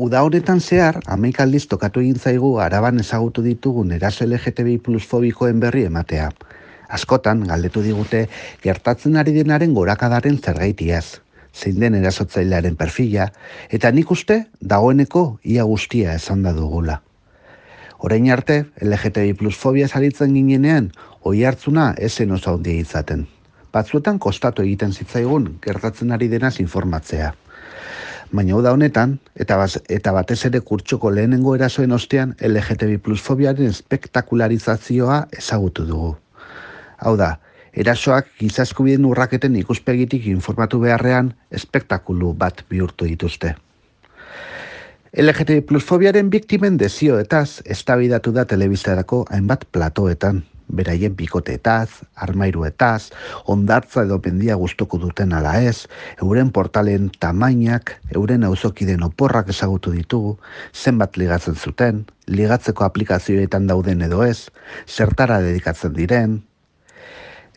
Uda honetan zehar, 11 aldiz tokatu egin zaigu Araban ezagutu ditugun eraso LGTBI plus fobikoen berri ematea. Askotan, galdetu digute, gertatzen ari denaren gorakadaren zergaitiaz, zein den erasotzailearen perfila, eta nik uste, dagoeneko ia guztia esan da dugula. Orain arte, LGTBI plus fobia zaritzen ginenean, oi hartzuna esen oso handia izaten. Batzuetan kostatu egiten zitzaigun gertatzen ari denaz informatzea. Baina uda honetan, eta batez ere kurtsoko lehenengo erasoen ostean LGTBI plus fobiaren espektakularizazioa ezagutu dugu. Hau da, erasoak giza eskubideen urraketen ikuspegitik informatu beharrean espektakulu bat bihurtu dituzte. LGTBI plus fobiaren biktimen desioetaz eztabaidatu da telebistarako hainbat platoetan, beraien bikoteetaz, armairuetaz, hondartza edo mendia gustuko duten ala ez, euren portalen tamainak, euren auzokideen oporrak ezagutu ditugu, zenbat ligatzen zuten, ligatzeko aplikazioetan dauden edo ez, zertara dedikatzen diren.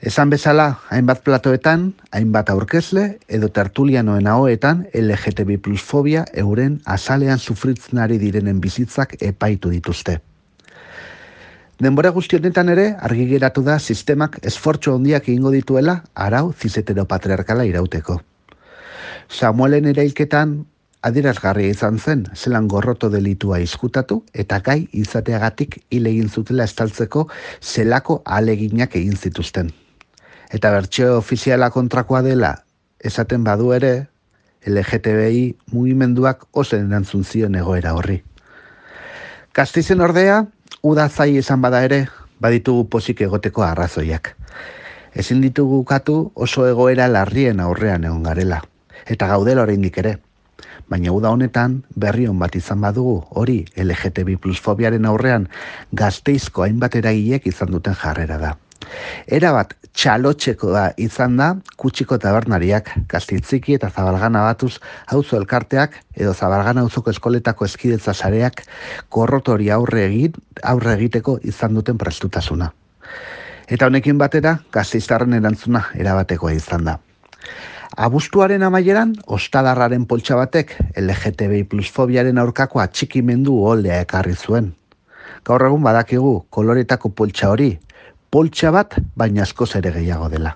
Esan bezala, hainbat platoetan, hainbat aurkezle edo tertulianoen ahoetan LGTBI plus fobia euren azalean sufritzen ari direnen bizitzak epaitu dituzte. Denbora guzti honetan ere, argi geratu da sistemak esfortzu handiak egingo dituela arau ziseteropatriarkala irauteko. Samuelen erailketan adierazgarria izan zen, zelan gorroto delitua izkutatu eta gai izateagatik hil egin zutela estaltzeko zelako ahaleginak egin zituzten. Eta bertsio ofiziala kontrakoa dela esaten badu ere, LGTBI mugimenduak oso erantzun zion egoera horri. Gasteizen ordea, uda zai izan bada ere, baditugu pozik egoteko arrazoiak. Ezin ditugu ukatu oso egoera larrien aurrean egon garela, eta gaudela oraindik ere. Baina uda honetan berri on bat izan badugu, hori LGTBI plus fobiaren aurrean Gasteizko hainbat eragilek izan duten jarrera da. Erabat txalotxeko da izan da Kutxiko tabernariak, Gasteitziki eta Zabalgana batuz auzo elkarteak edo Zabalgana auzoko eskoletako eskidetza sareak gorrotori aurre egiteko izan duten prestutasuna. Eta honekin batera, gasteiztarren erantzuna erabatekoa izan da. Abuztuaren amaieran, ostadarraren poltsa batek LGTBI plus fobiaren aurkako atxikimendu oldea ekarri zuen. Gaur egun badakigu koloretako poltsa hori, poltsa bat, baina askoz ere gehiago dela.